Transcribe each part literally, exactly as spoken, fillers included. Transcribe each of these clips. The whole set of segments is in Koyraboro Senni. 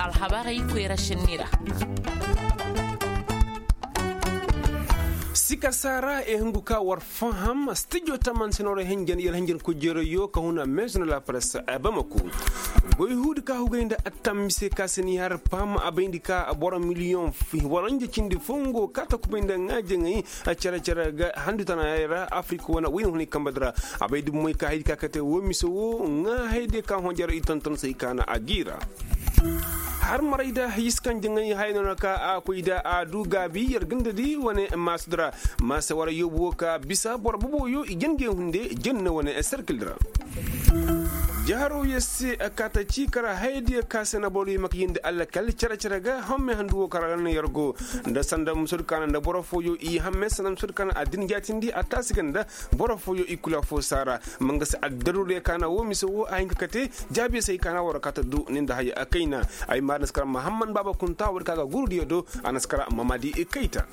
Alhabarey koyra šenni ra. Sika saara e hungu ka war faham stijo taman senora henjen yar henjen kujerayo ka huna maison de la presse a bamako. Goy huudi ka hugay nda attam mise ka seni har pam a bayndi ka boro miliyon fi waranja cindi fongo ka ta kubay nda ŋaajeŋay. Cere cere ga handu tana yara afirika wane wayna hunay kamba dira. A bayndi moy ka haydi ka kate wo mise wo ŋaa hayde ka honjaro i tonton say ka na a giira. Har maray da yiskan jaŋay haya no na ka a koy da a du gaabi yar ganda di wane masu dira. Masa wara yobu wo ka bisa boro boboyo i jangey hunde janna wane serkil dira. Jaharo yesse kata ci kara haydiya ka se na boro yi maka yindi allakal cere cere ga hamme handu wo kara ga na yar go. Nda sanda musur kana nda boro foyo i hamme sanda musur kana addin jatindi a tasi ganda. Boro foyo i kula fo sara. Manga se addaru de kana wo mise wo a hinka kate. Jaabi se i kana wara kata du ninda haya a kayna. Ay ma naskara mahamman baba kunta wari kaga guru diyo do. A naskara mamadi i kayta.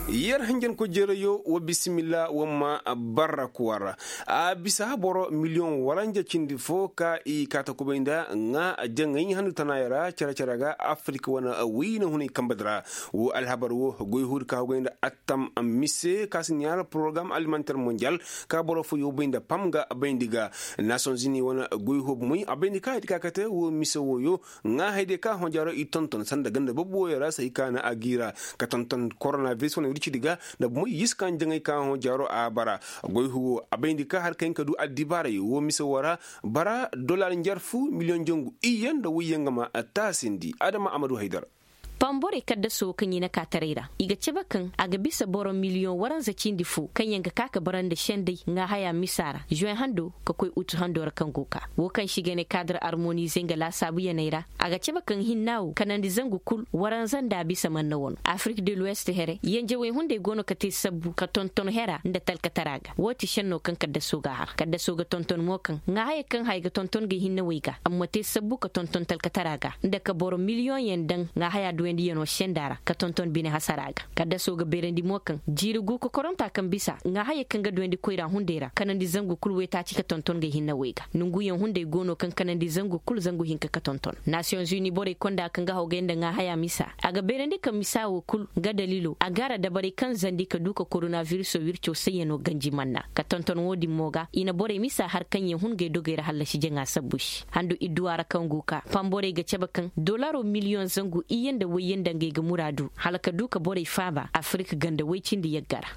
Yer hanjan ko jereyo wa bisimilla wa ma barra kuwara. A bisa boro miliyon waranja cindi fo ka i kata kubay nda ŋa jaŋay handu tanayara cere cere ga afirika wana wayna hunay kamba dira. Wo alhabar wo goy huri ka hugay nda attam mise ka si ɲaara porogram alimentaire mondial. Ka boro fo yo bay nda pam ga bay ndi ga. Nations unis wana goy hub moy a bay ndi ka hadi ka kate wo mise wo yo. Ŋa hayde ka hõ jaaro i tonton sanda ganda bobo wo yara say ka na a giira. Ka tonton koronaviris wana wircidi ga. Nda moy yis ka jaŋay ka hõ jaaro a bara. Goy huwo a bay ndi ka har kaŋ ka du addibaaray wo mise wo ra. Bara dollar njarfu miliyoŋ jangu iyye nda wayyaŋ ga ma taasindi adama amadu haydar. Pamborey kaddaso wo kaŋ i na ka taray ra i ga cabe kaŋ a ga bisa boro miliyoŋ waranza cindi fo kaŋ yaŋ ga ka ka bara nda sendey ŋa haya misa ra zuwen hando ka koy utu hando ra kaŋ go ka wo kaŋ se i ga ne kaadar armonize nga laasaabu yaney ra. A ga cabe kaŋ hinna wo kanandi zangu kul waranza nda a bisa manna wano afirik de luwest here yanjawey hunday go no ka te sabbu ka tonton hera nda talkatara ga wo ti senno kaŋ kaddaso ga a har kaddaso ga tonton mo kaŋ ŋa haya kaŋ haya ga tonton ga hinnawey ga amma te sabbu ka tonton talkatara ga nda ka boro miliyoŋ yaŋ daŋ ŋa haya duwandiyano senda ra ka tonton bine hasara ga. Kaddaso ga beerandi mo kaŋ jiiri gu kokoronta kaŋ bisa ŋa haya kaŋ ga duwandi koyra hunday ra kanandi zangu kul waytaaci ka tonton ga hinnawey ga nonguyaŋ hunday go no kaŋ kanandi zangu kul zangu hinka ka tonton. Nasiyoŋ zuni borey konda kaŋ ga hawgay nda ŋa haya misa a ga beerandi ka misa wo kul ga dalilo a gaara dabarey kaŋ zandi ka du ka koronaviriso wirco sayyano ganji manna ka tonton wo-din mo ga i na borey misa har kaŋ yaŋ hun ga ay dogey ra hallasi jaŋa sabbu se handu idduwa ra kaŋ go ka pamborey ga cabe kaŋ dolaro miliyoŋ zangu iyye nda wayye nda ngey ga muraadu hala ka du ka borey faaba afirik ganda way cindi yagga ra.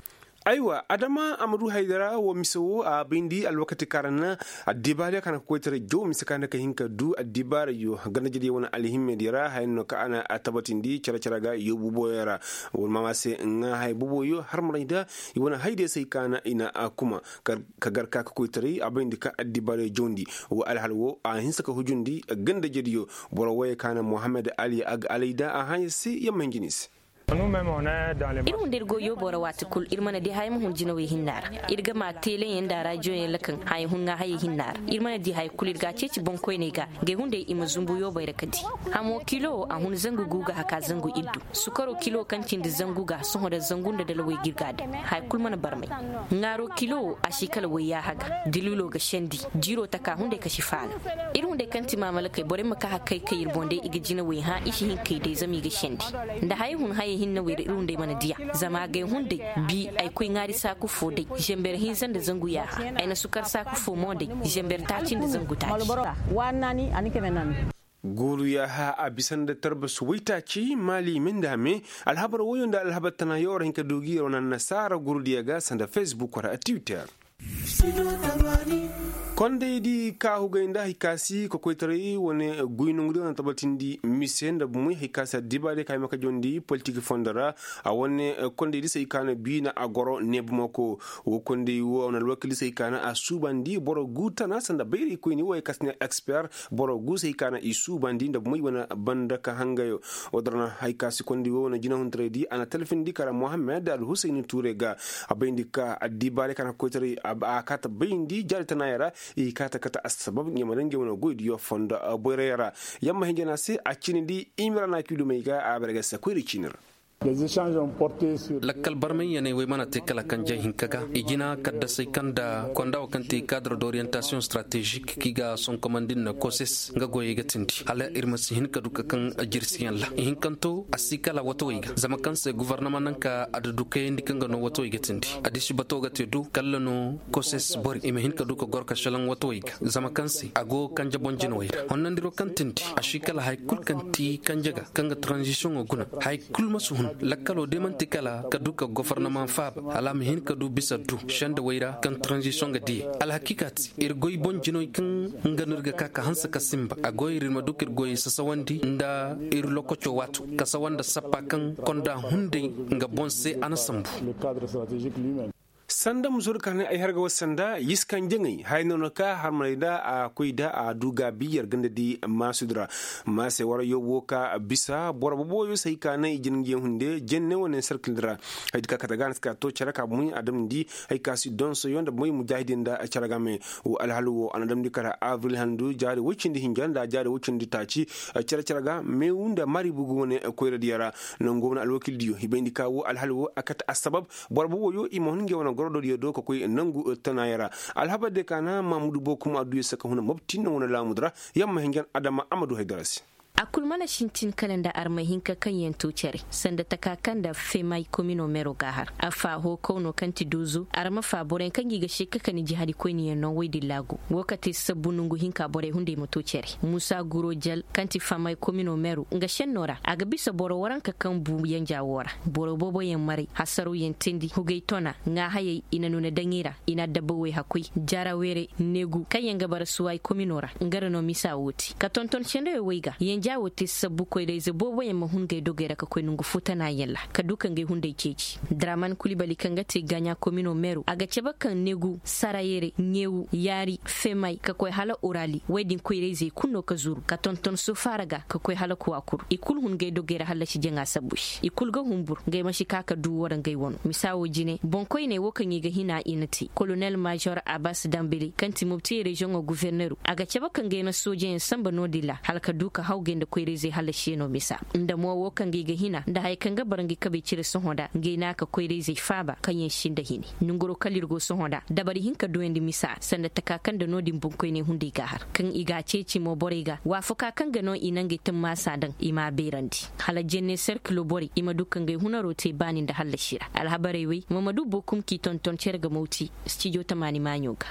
Aywa adama a ma du haydara wo mise wo a bayndi alwakati kaŋ ra na addibaariya kaŋ na ka koytaray jaw mise kaŋ na ka hin ka du addibaarayo ganda jadiyo wane alhimmediyo ra haya no kaŋ a na a tabatindi care care ga yoobu boyo ra. Wala mama se ŋa haya boboyo har maray da i wane haydiyo se i kaŋ na i na a kuma ka gar ka ka koytaray a bayndi kaŋ addibaarayo jawndi. Wa alhal wo a hinsa ka hujundi ganda jadiyo. Boro woyey kaŋ na mohammed ali ag alayda a haya se yamma hinjini se. Ir hunday ir go yoobo ra waati kul ir mana di haya ma hun jinawey hinna ra. Ir ga ma teleyaŋ nda rajiyoyaŋ ra kaŋ haya hun ŋa hayey hinna ra. Ir mana di haya kul ir ga a ceeci boŋkoyney ga. Ngey hunday i ma zumbu yoobey ra ka di. Hamo kilo wo a hun zangu gu ga haka zangu iddu. Sukaro kilo kaŋ cindi zangu ga sohõ nda zangu nda dalawey ga ir ga a daŋ haya kul mana barmay. Ŋaaro kilo wo a si kala wayyaaha ga. Diliilo ga sendi. Jiiro taka hunday ka si faala. Ir hunday kaŋ ti maamalakey borey ma ka hakkey kay ir boŋ day i ga jinawey hã i si hin kay day zama i ga sendi. Nda hayey hun hayey hinne wey ra ir hunday mana diya. Zama agay hunday bi ay koy ŋaari saaku fo day. Zember hinza nda zangu yaaha ay na sukar saaku fo mo day. Zember taaci nda zangu taaci. Guuru yaaha a bisa nda tarbas waytaaci maali me nda a me. Alhabar woyo nda alhabar tana yo war hin ka du gi yer wane annasaara gurudiyo ga sanda facebook wala twitter. Kondaydi ka hugay nda hay ka si kokoytaray wane guy nongudi wane tabatindi mise nda bumey hay ka si addibaadiyo ka hay ma ka jawndi politik fondo ra. A wane kondaydi se hay ka na biina a goro neebumako. Wo konday wo a wane alwakildi se hay ka na a suubandi boro gu tana sanda bayraykoyni wo hay ka si ne eksper. Boro gu se hay ka na i suubandi nda bumey wane banda ka hangayo. Wo dara na hay ka si konday wo wane jinahuntaraydi a na talfindi kara mohammed alhusayni tuure ga. A bayndi ka addibaarey kaŋ a na koytaray a kaata bayndi jaari tanaayey ra. I kaata kate assabab ɲamaranje wane goydiyo fondo boyray ra. Yamma hinjana se a ciinidi imira na kiilumey ga a bare ga se koyri ciini ra. Lakkal barmay yaney wey mana te kala kanje hinka ga i jina kaddasey kaŋ nda konda wo kaŋ te kaadar d'orientasiyoŋ stratezik kaŋ i ga sonkomandi nda koses nga goyey ga tindi hala ir ma si hin ka du ka kaŋ jirsiyaŋ ra ihinkanto a si kala watawey ga zama kaŋ se guvarnama naŋ ka a da du kayandi kaŋ ga no watawey ga tindi. Addiši bato ga te do kalla no koses bori i ma hin ka du ka goro ka šelaŋ watawey ga zama kaŋ se a go kanje boŋ jinawey ra honnandiro kaŋ tindi a si kala hari kulu kaŋ ti kanje ga kaŋ ga taranzisiyoŋo guna hari kulu ma si hun lakkalo day man'ti kala ka du ka gofornamaŋ faaba hala a ma hin ka du bisa du sendawey ra kaŋ taranzisiyoŋ ga diyey. Alhakiika ti ir goy boŋ jinoy kaŋ nga no ir ga ka ka hanse ka sinba a goy ir ir ma du ka ir goyey sasawandi nda ir lokoco waato ka sawa nda sappa kaŋ konda hunday nga boŋ se a na sambu. Sanda musoodi ka ne ay har ga war sanda yiskan jaŋay haya no na ka har ma nay da a koy da a du gaabi yer ganda di maasudi ra. Maase wara yoobo ka bisa boro boboyo se hay ka naŋ i jina ngi yaŋ hunde jenne wane sarkil ra. Hay di ka kate ga a na si ka to cere ka bumey a damndi hay ka si donsoyo nda bumey mujaahidi nda cere ga me. Wo alhal wo a na damndi kala abril handu jaari woy cindi hinja nda jaari woy cindi taaci cere cere ga meewu nda mari bugu wane koyradiyo ra. Nangu wane alwakildiyo i bayndi ka wo alhal wo a kate assabab boro boboyo i ma hun ngey wane gorododiyo do ka koy nangu tanaayo ra. Alhabar de ka na mamudu bokum adduyo se ka huna mobti no wane laamudi ra. Yamma hinjan adama a ma du haydara se. A kul mana sintin kala nda armay hinka kaŋ yaŋ to care sanda taka kaŋ nda femay komino meero ga a har a fa hookaw no kaŋ ti duuzu arma fa boroyaŋ kaŋ gi ga seeka ka ni jihadi koyniyaŋ no woy din laagu. Wo ka te sabbu nongu hinka borey hunday ma to care muusa guro jal kaŋ ti femay komino meero nga senno ra a ga bisa boro waranka kaŋ bu yanjaa wo ra. Boro booboyaŋ maray hasarawyaŋ teendi hugay tona ŋaahayey i na nuuna daŋ i ra i na adabawey hakkoy jaraweere neegu kaŋyaŋ ga bara suway komino ra nga ra no misa wo te ka tonton sendawey woy ga yanjaa wo te sabbu koyrayze booboyaŋ ma hun ngey dogey ra ka koy nongu fo tanaayaŋ ra ka du ka ngey hunday ceeci. Draman kulibali kaŋ ga te gaaɲa komino meero a ga cabe kaŋ neegu sarayeere ɲeewu yaari femay ka koy hala orali woy din koyrayzey kulu no ka zuru ka tonton sofaara ga ka koy hala kuwakuru i kulu hun ngey dogey ra hallasi jaŋa sabbu se i kulu ga hunbur ngey ma si ka ka du war ngey wano misa wo jine boŋkoyney wo kaŋ i ga hina i na te kolonel maazor abas dambele kaŋ ti mobti reziyoŋo guverneru a ga cabe ka ngey na soojeyaŋ sanba no-din ra hala ka du ka hawgay nda koyrayzey hallasiyaŋo misa nda mo wo kaŋ ga i ga hina nda haya kaŋ ga bara ngey kabey cire sohõ nda ngey na ka koyrayzey faaba kaŋyaŋ sinda hini. Nongoro kala ir go sohõ nda dabari hinka duyandi misa sanda taka kaŋ nda no-din boŋkoyney hunday ga a har kaŋ i ga a ceeci mo borey ga waafakaa kaŋ ga no i na ngey tammaasa daŋ i m'a beerandi hala jenne serkilo borey i ma du ka ngey hunaroo te baani nda hallasi ra alhabarey wey mamadu bokum k'i tonton cere ga mawti. Stijo tamaani maaɲo ga.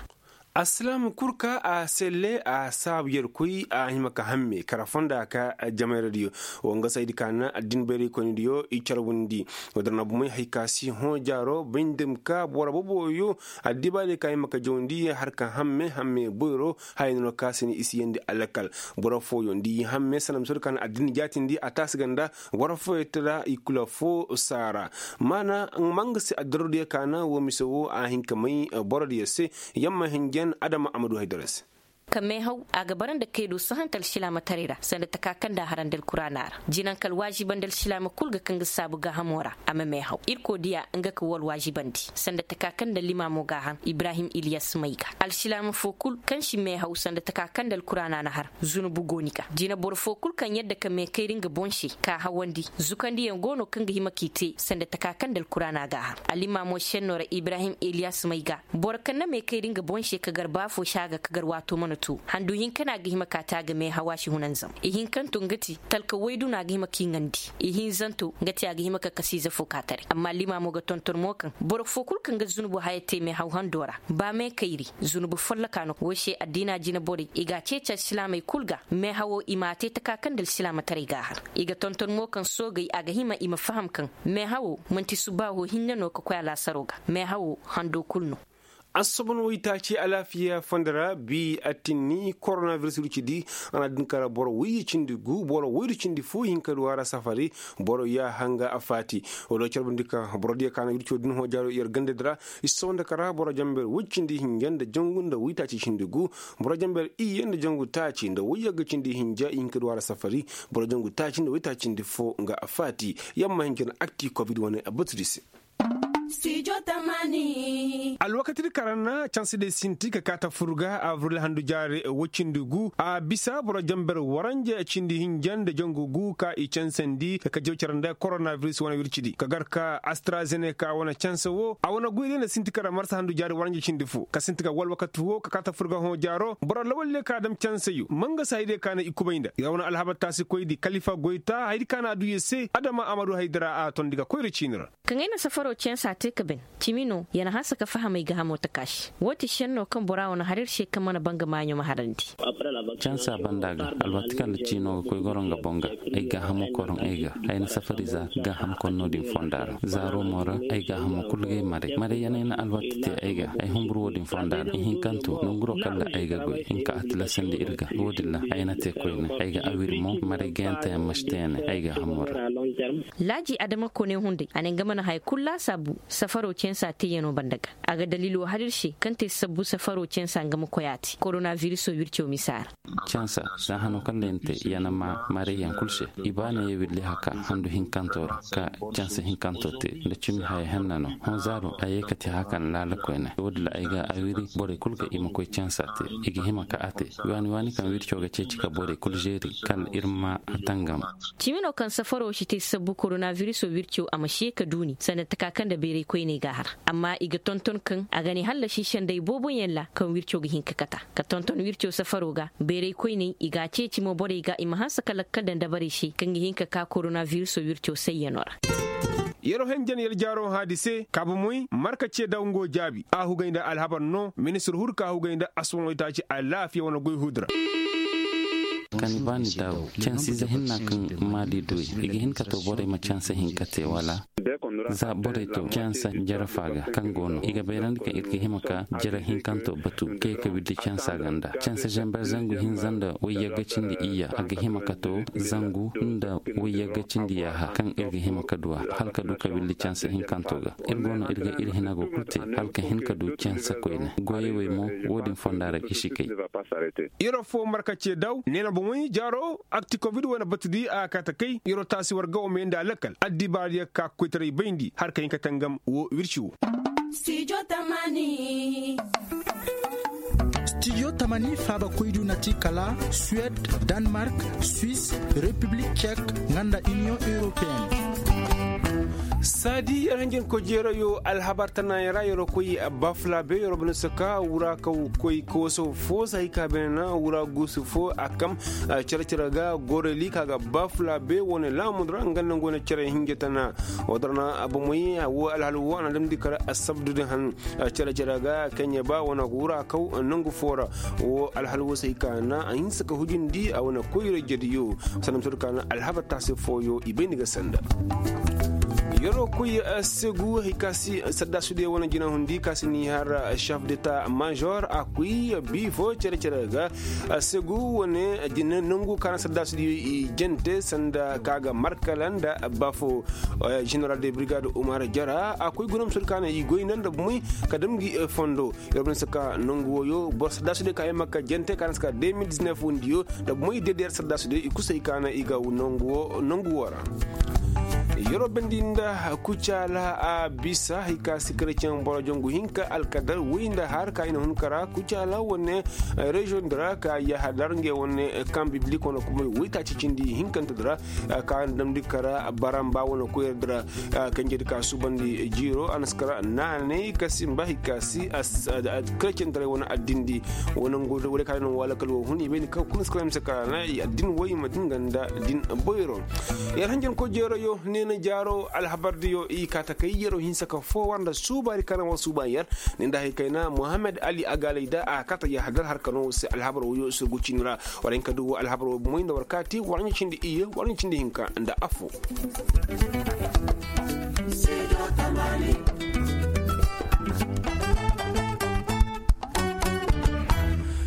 Alsilaam kul ka a selle a saabu yerkoy a hima ka hamme kara fonda ka jamayra diyo. Wanga saydi ka na addin bayraykoyni diyo i carwundi. Wadar na bumay hay ka si hõ jaaro bay nda ka boro boboyo addibaali ka hima ka jawndi har ka hamme hamme boyro. Haya no ka sini i si yandi alakal boro fooyo nda i hamme sanda misoodi ka na addin jaatindi a taasi ganda. Boro fooyo tara i kula foo saara maana manga se addarodiyo ka na woo mise woo a hin ka may borodiyo se. Yamma hinjan adama a ma du haydara se. Ka meehaw a ga bara nda kaydo sahante alsilaamataray ra sanda taka kaŋ nda a harandi alkuraana ra. Jinaŋ ka alwaazibandi alsilaama kul ga kaŋ ga saabu gaahamo ra a ma meehaw irkoy diya nga ka woo alwaazibandi sanda taka kaŋ nda limaamo ga a har ibrahim iliyas may ga. Alsilaama foo kul kaŋ si meehaw sanda taka kaŋ nda alkuraana na har zunubu go ni ga jina boro foo kul kaŋ yadda ka mee kayri nga boŋ se k'a hawandi zukandiyaŋ go no kaŋ ga hima k'i te sanda taka kaŋ nda alkuraana ga a har. Allimaamo senno ra ibrahim iliyas may ga boro kaŋ na mee kayri nga boŋ se ka gar ba foo se a ga ka gar waato mana to handu hinka no a ga hima k'a te a ga mee hawa si hunanzam ihinkanto nga ti talka waydu no a ga hima k'i ŋandi. Ihinzanto nga ti a ga hima ka kasiize foo ka taray amma limaamo ga tonton mo kaŋ boro foo kul kaŋ ga zunubu haya te mee haw hando ra ba mee kayri zunubu folloka no woo se addiina jina borey i ga a ceeci alsilaamey kul ga meehawoo i m'a te taka kaŋ nda alsilaamataray ga a har. I ga tonton mo kaŋ soogey a ga hima i ma faham kaŋ meehawoo man'ti subaaho hinne no ka koy alaasaroo ga meehawoo handoo kul no. Assobon waytaaci alaafiya fondo ra bi attinni koronabiris wircidi a na din kara boro wayye cindi gu boro waydu cindi foo hinka du a ra safari. Boro ya hanga a faati. Wala carbundi ka borodiyo ka na wirco din hoo jaaro yer gandadi ra. I soo nda kara boro jamber woy cindi hinja nda jangu nda waytaaci cindi gu. Boro jamber iyye nda jangu taaci nda wayyagga cindi hinja i hinka du a ra safari. Boro jangu taaci nda waytaaci cindi foo nga a faati. Yamma hinja na akti kobid wane a batudi se. Alwakatidi karan na canse day sinti ka kaata fur ga abril handu jaari woy cindi gu a bisa boro jamber waranja cindi hinja nda jangu gu ka i cansandi ka jaw care nda koronabiris wane wircidi ka gar ka astrazeneka wane canse wo a wane goy day nda sinti karan marsa handu jaari waranja cindi fo ka sinti ka woo alwakati wo ka kaata fur ga hõ jaaro boro lawal day ka dam canseyo mangasa hayday ka na i kubay nda i ra wane alhabar taasikoydi kalifa goyta haydi ka na a du ye se adama amadu haydi ra a tondi ga koyra ciini ra. Kaŋ ay na safaro cansa te ka ben cimi no ya na hanse ka faham ay gaahamo taka se woo ti šenno kaŋ bora wane har ir se kaŋ mana ba nga maaɲo ma harandi. Cansa banda ga alwati kaŋ nda ciino ga koy goro nga boŋ ga ay gaahamo koroŋ ay ga ay na safari za gaaham konno din fonda ra zaaro mo ra ay gaahamo kul ga ay maray maray ya na ay na alwati te ay ga ay humbur woo din fonda ra ihinkanto nanguro kaŋ ra ay ga goy hinka a tilasandi ir ga woo din ra ay na te koyne ay ga awiri mo maray gayanteyaŋ ma si te ya ne ay gaahamo ra. Laaji adama kone hunday a ne nga mana haya kul laasaabu safaro cansa teeyano banda ga a ga daliilo har ir se kaŋ te sabbu safaro cansa nga ma koy a te koronabiriso wirco misa ra. Cansa za hano kaŋ day ni te ya na ma marayyaŋ kul se i ba na ye willi haka handu hinkanto ra ka cansa hinkanto te nda cimi haya henna no hõ zaaro a ye ka te haka na laala koyne woo din ra ay ga awiri borey kul ga i ma koy cansa te i ga hima ka a te waani waani kaŋ wirco ga ceeci ka borey kul zeeri kala ir ma a tangam. Cimi no kaŋ safaro si te sabbu koronabiriso wirco a ma si ye ka duuni sanda taka kaŋ nda bayray koyney ga a har amma i ga tonton kaŋ a ga ne hallasi senday booboyaŋ ra kaŋ wirco ga hin ka kata ka tonton wirco safaro ga bayray koyney i ga a ceeci mo borey ga i ma hanse ka lakkal daŋ dabarey se kaŋ ga hin ka ka koronabiriso wirco sayyano ra. Yer wo henjen yer jaaro hã di se kaabamoy marka ce daw ngo jaabi a hugay nda alhabar no ministir huru ka hugay nda asubaŋoy taaci alaafiya wane goy huudi ra. Kani ba ni daabu cansiize hinna kaŋ maali du i ga hin ka to borey ma canse hinka te wala? Za borey to canse jarafa ga kaŋ go no i ga bayrandi kaŋ ir ga hima ka jara hinkanto batu kay ka wirdi cansa ganda canse zamber zangu hinza nda wayyagga cindi iyya a ga hima ka to zangu nda wayyagga cindi yaaha kaŋ ir ga hima ka du a hala ka du ka wirdi canse hinkanto ga ir go no ir ga ir hina go kul te hala ka hin ka du canse koyne goyey wey mo woo din fonda ra i si kay. Yer wo foo marka ce daw neena bomoy jaaro akti kobid wane batudi a ga kaa ta kay yer wo taasi war ga wo may nda a lakkal addibaariyaŋ ka koytaray bayndi har ka hin ka tangam woo wirci wo. Studio tamani faaba koydu na ti kala suwed, danmark, swis, repiblik cek, nga nda iniyoŋ europeen. Saadi yer hanjankoy jeerayo alhabar tanayaŋ ra yer wo koy bafulabe yer wo bana saka wura ka koy kooso fo se hay ka beene na wura guusu fo a kam cere-cere ga goreli ka ga bafulabe wane laamudu ra nga nda nga wane cere hinja tana. Woo dora na bomoy woo alhal woo a na damndi kara asabdu din han cere-cere ga kaŋ ya ba wane wura kaw nangu fo ra. Woo alhal woo se hay ka na a hinse ka hujindi a wane koyra jediyo sanda ma to da ka na alhabar taasi fooyo i bay ni ga sanda. Yer wo koy segu hay ka si saddaasudiyo wane jinahundi ka si ni har chef deta major a koy bii fo cere-cere ga segu wane jina nangu ka na saddaasudiyo i jante sanda ka ga markala nda bafo. General de brigade umar jara a koy guna ma soodi ka na i goy nda nda bumey ka dam gi fondo. Yer bana si ka nangu wooyo boro saddaasudiyo ka yamma ka jante ka na si ka deux mille dix-neuf wundiyo nda bumey dedeer saddaasudiyo i kusay ka na i ga nangu woo ra. Yer wo bandi nda kucaala a bisa hay ka si kareceŋ boro jongu hinka alkadar woy nda har ka i na hun kara kucaala wane reziyoŋ di ra ka yahadar ngey wane kaŋ biblik wane kumay woytaaci cindi hinkante di ra. Ka na damndi kara baramba wane koyra di ra. Kanjedi ka suubandi jiiro a na si kara naanay ka simba hay ka si. Karecentaray wane addindi wane ngo woy ka no wala kala wo hun i bay ni kaŋ kuna si kala mise kara na addin woy ma din ganda din boyro. Yer hanjankoy jeeroyo neena jaaro alhabardiyo i kaa ta kay yer wo hinsa ka foo war nda suubaari ka na war suuba yer. Ni nda hay kayna mohammed ali agaalay da a kaa ta yahadar har ka no war se alhabar woyo surgu ciini ra. War hin ka du war alhabar wo moy nda war kaa te war ɲa cindi iyye war ɲa cindi hinka nda affoo.